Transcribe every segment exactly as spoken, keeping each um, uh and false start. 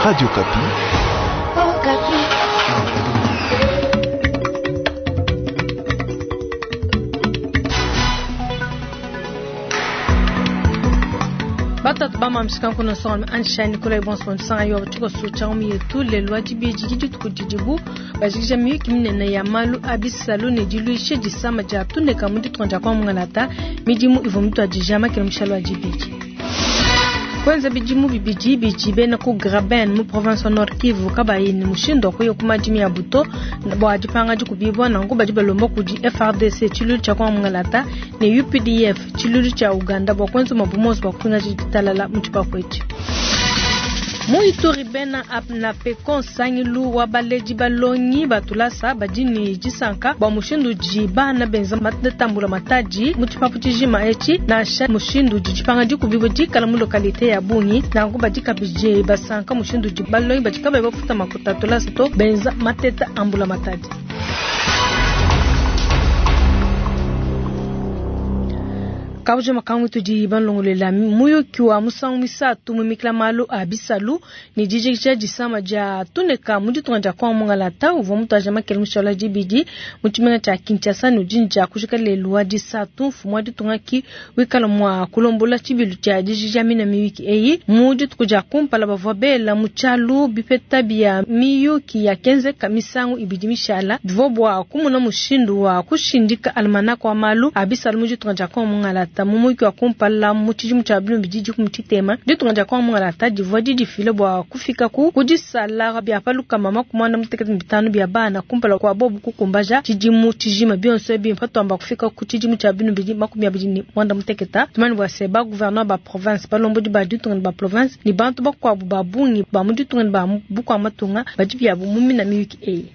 Radio Okapi. Oh, Okapi. Batatu bamamsika kuna songa ansha Nicolas Bonson sanga yo tuko sucha omi yetu lelo dibidi dituku didibu bajikija miyuki minene ya malu abisalu ne diluishe disama dia tuneka mu ditunga dia kwa mungalata midimu ivua mituadija makela mushalo wa dibidi. Kwanza bidimu bibidi bidi bena ku Graben mu province wa Nord Kivu kabayi ni mushindo wa kuya ku madimi ya buto bua dipanga dikubibwa nanku badi balomba kudi F R D C tshilulu tshia kwa mungalata ne U P D F tshilulu tshia Uganda bua kwenza mabumoso bua kupinga ditalala mu tshipapu etshi. Mu Ituri bena na pekon sangilu wa baleji balongi batulasa badini disanka bua mushindu di bana benza matambula matadi mu tshipapu tshijima etshi nansha mushindu di dipanga dikubibo dikala mu localité ya Bungi nanku badi kabidi basanka mushindu di balongi badi kabayi bafuta makuta tulasa to benza mateta ambula matadi. Kabuja makangu tudi banlongolela muyuki wa musangu misatu mumikila malu a bisalu ni dijikija disama dia tuneka mu ditunga dia kwa mungalata uvua mutuaja makele mushala dibidi mu tshimenga tshia Kinshasa ne udi dia kujika lelu wa disatu mfumu wa ditunga ki wikala mua kulombola tshibilu tshia dijikija mina miyuki eyi mu dituku dia kumpala bavua bela mu tshialu bipeta bia miyuki ya kenzeka misangu ibidi mishala bivua bua kumuna mushindu wa kushindika almanaka wa malu a bisalu mu ditunga dia kwa mungalata. Mumuki wa kumpala mu tshidimu tshia bilumbi didi ku mutshitema ditunga dia kwa mungalata divua didifile bua kufika ku kudisala bia paluka mama ku mwanda mutekete bitanu bia bana kumpala kwa bobu kukumbaja tshidimu tshijima bionso ebi mpatuamba kufika ku tshidimu tshia bilumbi makumi abidi ne mwanda muteketa tumani bua se ba gouverneur ba province balombodi ba ditunga ba province ni bantu bakuabu ba bungi ba mu ditunga ba bukua matunga badi biabu mu mina miyuki eyi.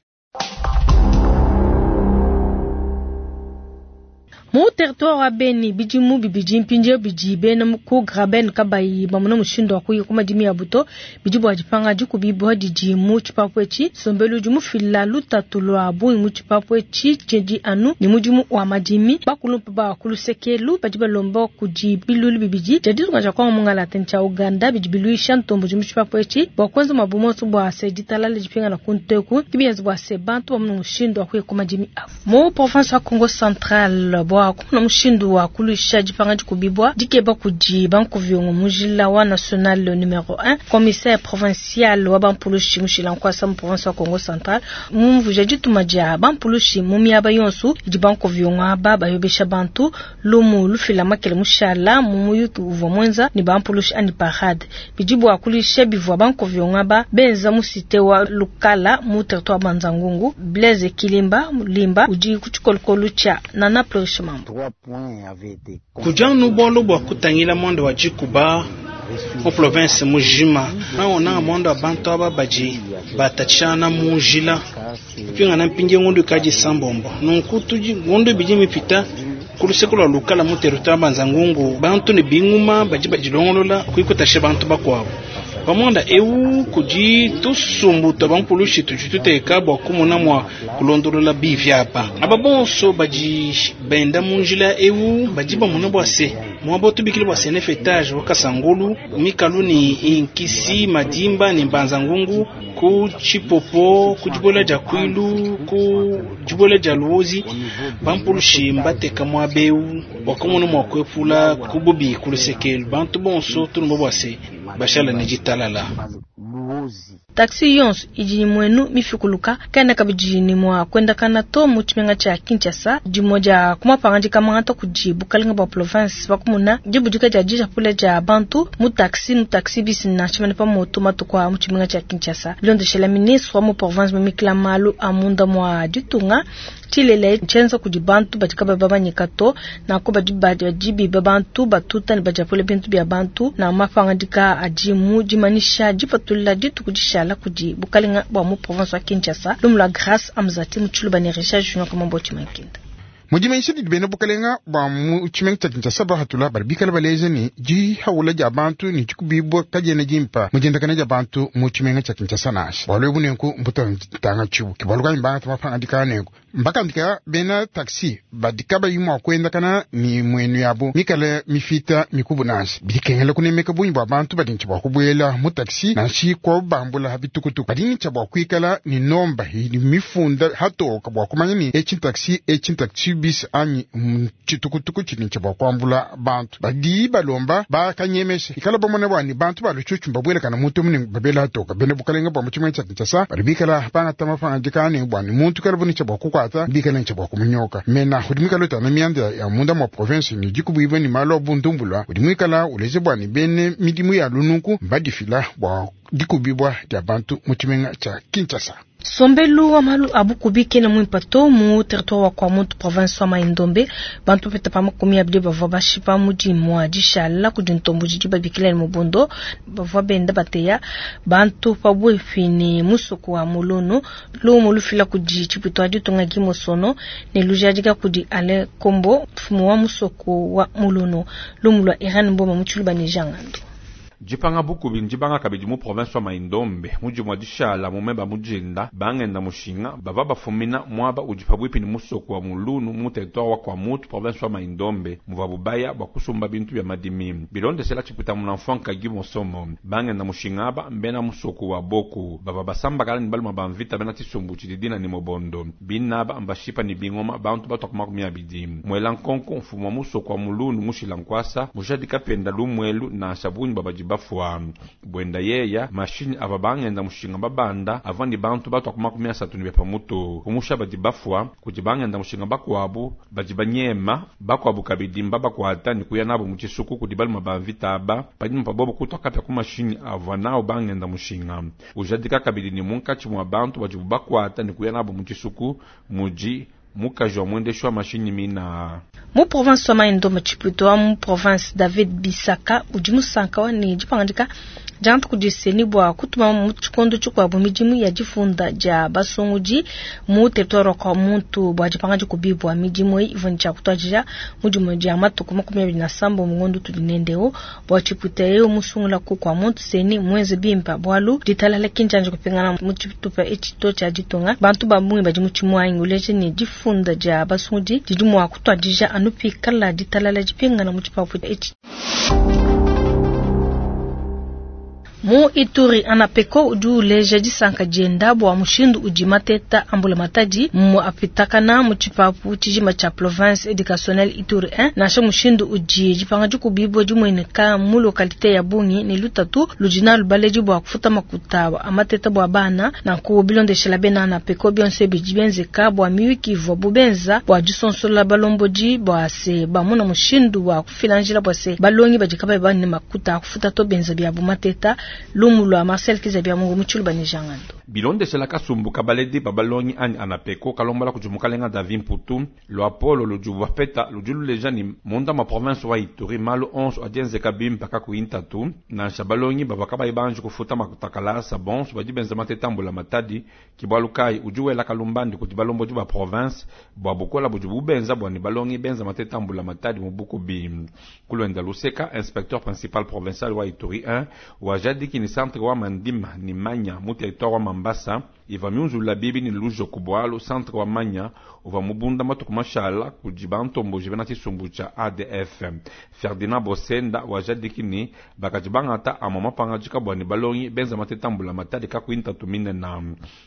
Mu territoire wa Beni bidimu bibidi mpindieu bidi bena ku Graben kabayi bamona mushindu wa kuya ku madimi ya buto bidi bua dipanga dikubibwa didi mu tshipapu etshi sombelu udi mufila lutatu lua bungi mu tshipapu etshi tshidi anu ni mudimu wa madimi bakulumpa ba kulusekelu badi balomba kudi bilulu bibidi dia ditunga dia kwa mungalata tshia Uganda bidi biluisha ntombo mu tshipapu etshi bua kuenza mabumonso bua se ditalala dipingana ku nteku kibienza bua se bantu bamona mushindu wa kuya ku madimi abu. Mu province wa Congo Central bua kuna mushindu wa kuluisha dipanga dikubibwa dikeba kudi bankuvyongo mujila wa national numero un commissaire provincial wa bampulushi mushila nkwasa mu province wa Congo Central mumvuja dituma dia bampulushi mu miaba yonso idi bankuvyongo aba bayobesha bantu lumu lufila makele mushala mu muyuki uvua mwenza ni bampulushi ani parade bidi bua kuluisha bivua bankuvyongo aba benza mu cité wa Lukala mu territoire Banzangungu Blaise Kilimba Limba udi ku tshikolokolo tshia Nana Plurish Mambo. Kujanu bolo bwa kutangila mwando wa jikuba mu province mujima naona mwando wa bantu aba baji batachana mujila kupinga na mpinge ngundu kaji sambombo nunku tuji ngundu biji mipita kulusekolo lukala mu territoire Banzangungu bantu ne binguma baji bajilongolola kuikutashe bantu bakwabo pamonda eu kudi tusumbu twa bampulushi tudi tuteka bua kumona mua kulondolola bivi apa aba bonso badi benda mu njila eu badi bamona bua se muaba tubikile bua se neuf etage wa Kasangulu mikalu ni inkisi madimba ni mbanzangungu ku chipopo ku dibola dia kwilu ku dibola dia luozi bampulushi mbateka muaba eu bua kumona mua kuepula kububi kulusekelu bantu bonso tulumba bua se bashala ne ditalala. Taxi yonso idi mwenu mifikuluka kana kabidi ni mwa kwenda kana to mu tshimenga tshia Kinshasa dimo dia kumapangandika mangata kudi bukalenga bua province bakumuna dibudika dia dijapula dia bantu mu taxi mu taxi bisi na tshimene pa moto matuku a mu tshimenga tshia Kinshasa bilondeshela ministre wa mu province mumikila malu a munda mwa ditunga tshilele tshienza kudi bantu badi kabayi bamanyika to nako badi badi biba bantu batuta ne badiapula bintu bia bantu na mapangandika adi mu dimanisha dipatula dituku dishala kudi bukalenga bua mu province wa Kinshasa lumu lua Grâce Amzati mu Tshiluba ne Richard Junior Kamambo Tshimankinda. Mudimanisha didi bena bukalenga bua mu tshimenga tshia Kinshasa bahatula badi bikala baleja ne dihaula dia bantu ne dikubibwa kadiena dimpa mu diendakana dia bantu mu tshimenga tshia Kinshasa nansha. Bualu ebu nenku mbuta ntanga tshibu. Ke bualu kayi mbangata mapangadika nenku. Mbakandika bena taxi badi kabayi mua kuendakana ni muenu yabo mikale mifita mikubu nansha bidikengela kunemeka bungi bua bantu badi ntshia bua kubuela mu taxi nansha kwa bambula bitukutuku badi ntshia bua kuikala ni nomba idi mifunda hatoka bua kumanya ni etshi taxi etshi taxi bis anyi tshitukutuku tshidi ntshia bua kuambula bantu badi balomba bakanyemesha ikala bamona bua ni bantu balutshutshu babuelakana muntu mune babela hatoka bena bukalenga bua mu tshimenga tshia Kinshasa badi bikala bangata mapangadika bua ni muntu kala buni tshia bua kukwata bikala ntshia bua kumunyoka mena udi mwikala utana mianda ya munda mwa province ni dikubuibwa ni malu a bundumbulwa udi mwikala uleje bua ni bene midimu ya lununku mbadifila bua dikubibwa dia bantu mu tshimenga tshia Kinshasa. Sombelu wa malu abukubi kena mwimpa to mu territoire wa Kwamouth province wa Mai-Ndombe bantu peta pa makumi abidi bavua bashipa mudimu wa dishala kudi ntombo didi babikila ni mubondo bavua benda bateya bantu pabuipi ni musuku wa Muluno lumu lufila kudi tshipito adi tunga gimosono ne lujadika kudi Ale Kombo mfumu wa musuku wa Muluno lumu lwa Iran mboma mutshiluba ne jangando. Jipanga bukubi njibanga kabidi mu province wa Mai-Ndombe muji mwa dishala mumeba mujinda bangenda mushinga bava bafumina mwaba udi pabuipi ni musoko wa Mulunu mu territoire wa Kwamouth province wa Mai-Ndombe muva bubaya bwa kusumba bintu bya madimi bilondesela tshipita munamfwanka gimosomo bangenda mushinga aba mbena musoko wa Boku bava basambakala ni baluma bamvita bena tshisumbu tshididina ni mobondo binaba mbashipa ni bingoma bantu batwa makumi abidi mwela nkonko mfumu wa musoko wa Mulunu mushila nkwasa mujadika penda lumwelu na sabuni babaji bafwa bwenda yeya mashini ava bangenda mushinga babanda avandi bantu batwa makumi asatu ni bepamutu kumusha badi bafwa kuti bangenda mushinga bakwabu badi banyema bakwabu kabidi mbabakwata ni kuya nabo muchisuku kuti baluma bamvita aba panyuma pabobo kutwa kapya ku mashini ava nao bangenda mushinga ujadika kabidi ni munkatshi mwa bantu badi bakwata ni kuya nabo muchisuku muji mukaji wa mwendesho wa mashini mina mu province wa Mai-Ndombe tshipito wa mu province David Bisaka udi musanka wa ne dipangandika jantu kudiseni bua kutuma mu tshikondo tshikuabu midimu ya difunda dia basungudi mu territoire wa Kwamouth bua dipanga dikubibwa midimu eyi ivua tshia kutuadija mudimu dia matuku makumi abidi na sambo mungondo tudi nendeo bua tshipita eyo musungula ku Kwamouth seni mwenze bimpa bualu ditalala kinjanja kupingana mu tshitupa etshi tshia ditunga bantu ba bungi badi mu tshimuangi uleje ne difunda dia basungudi didi mua kutuadija anu pikala ditalala dipingana mu tshipapu etshi. Mu Ituri anapeko udi uleja disanka dienda bua mushindu udi mateta ambula matadi mu apitakana mu tshipapu tshijima tshia province educationnelle Ituri un nansha mushindu udi dipanga dikubibwa dimueneka mu localité ya Bungi ne lutatu ludi nalu baledi bua kufuta makuta amateta bua bana nanku bilondeshela bena anapeko bionso bidi bienzeka bua miyuki ivua bubenza bua disonsola balombodi bua se bamuna mushindu wa kufila njila bua se balongi badi kabayi bane makuta akufuta to benza bia bumateta. Lumu lwa Marcel Kizabia Mungu muchulu banijangando. Bilondeshela kasumbu kabaledi babalongi ani anapeko kalombala kujumukalenga David Mputu lo Apollo lujubu peta lujulu ni munda ma province wa Ituri malu onze adienzeka bimpa kakuintatu na shabalongi babakaba ibanji kufuta makutakalasa bons badi benza matetambula matadi kibwalukai ujuwela kalumbandi kuti balombo ba province bwa bukola bujubu benza bwa ni balongi benza matetambula matadi mubuku bi kulwenda luseka inspecteur principal provincial wa Ituri un wa jadiki ni centre wa Mandima ni Manya mu territoire wa Mambasa iva miunzula bibi ni lujo kubwalu centre wa Manya uva mubunda matuku mashala kujiba ntombo jibena tshisumbu tsha A D F Ferdinand Bosenda wa jadiki ni bakajibangata ama mapanga jikabwa ni balongi benza matetambula matadi kakuinta tumine na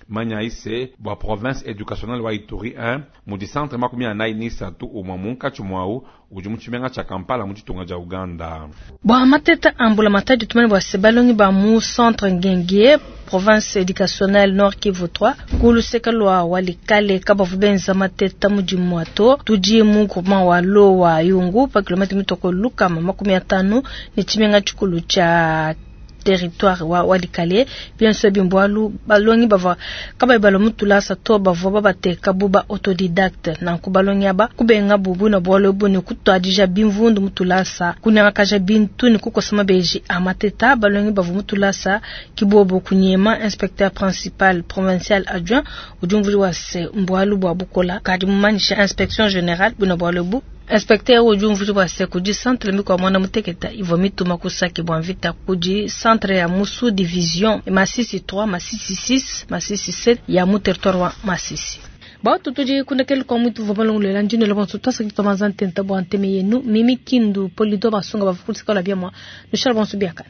Manya ise bwa province educationnelle wa Ituri un mudi centre makumi anayi ni satu umwa munkatshi mwau udi mu tshimenga tsha Kampala mu tshitunga tsha Uganda. Bwa mateta ambula matadi tumene bwa se balongi ba mu centre Ngenge province éducationnelle Nord Kivu trois kuluseka lwa walikale kabavu benza mateta mudimu ato tudi mu groupement wa Lowa Yungu pa kilomètre mitoko lukama makumi atano ni tshimenga tshikulu tsha territoire wa walikale bien sûr bimbwalu balongi bava kaba balo mutula sa to bava babateka buba autodidacte na kubalongi aba kubenga bubu na bwalo bu ni kutwadija bimvundu mutula sa kunyakaja bintu ni kukosama beji amateta balongi bava mutula sa kibobo kunyema inspecteur principal provincial adjoint ujumvuli wa se mbwalu bwa bukola kadi mumanisha inspection générale buna bwalo bu inspecteur ujumvuli wa se kudi centre mikwa mwana muteketa ivo mituma kusaki bwa mvita kudi centre ya Musu division Masisi trois, Masisi six, Masisi sept ya mu territoire wa Masisi. Batu tudi kundekelu kwa mwitu vwa balongolela ndino bonso twasaki twamanza ntenta bwa nteme yenu mimi kindu polido basunga bavukulisika la biamwa nushala bonso biakana.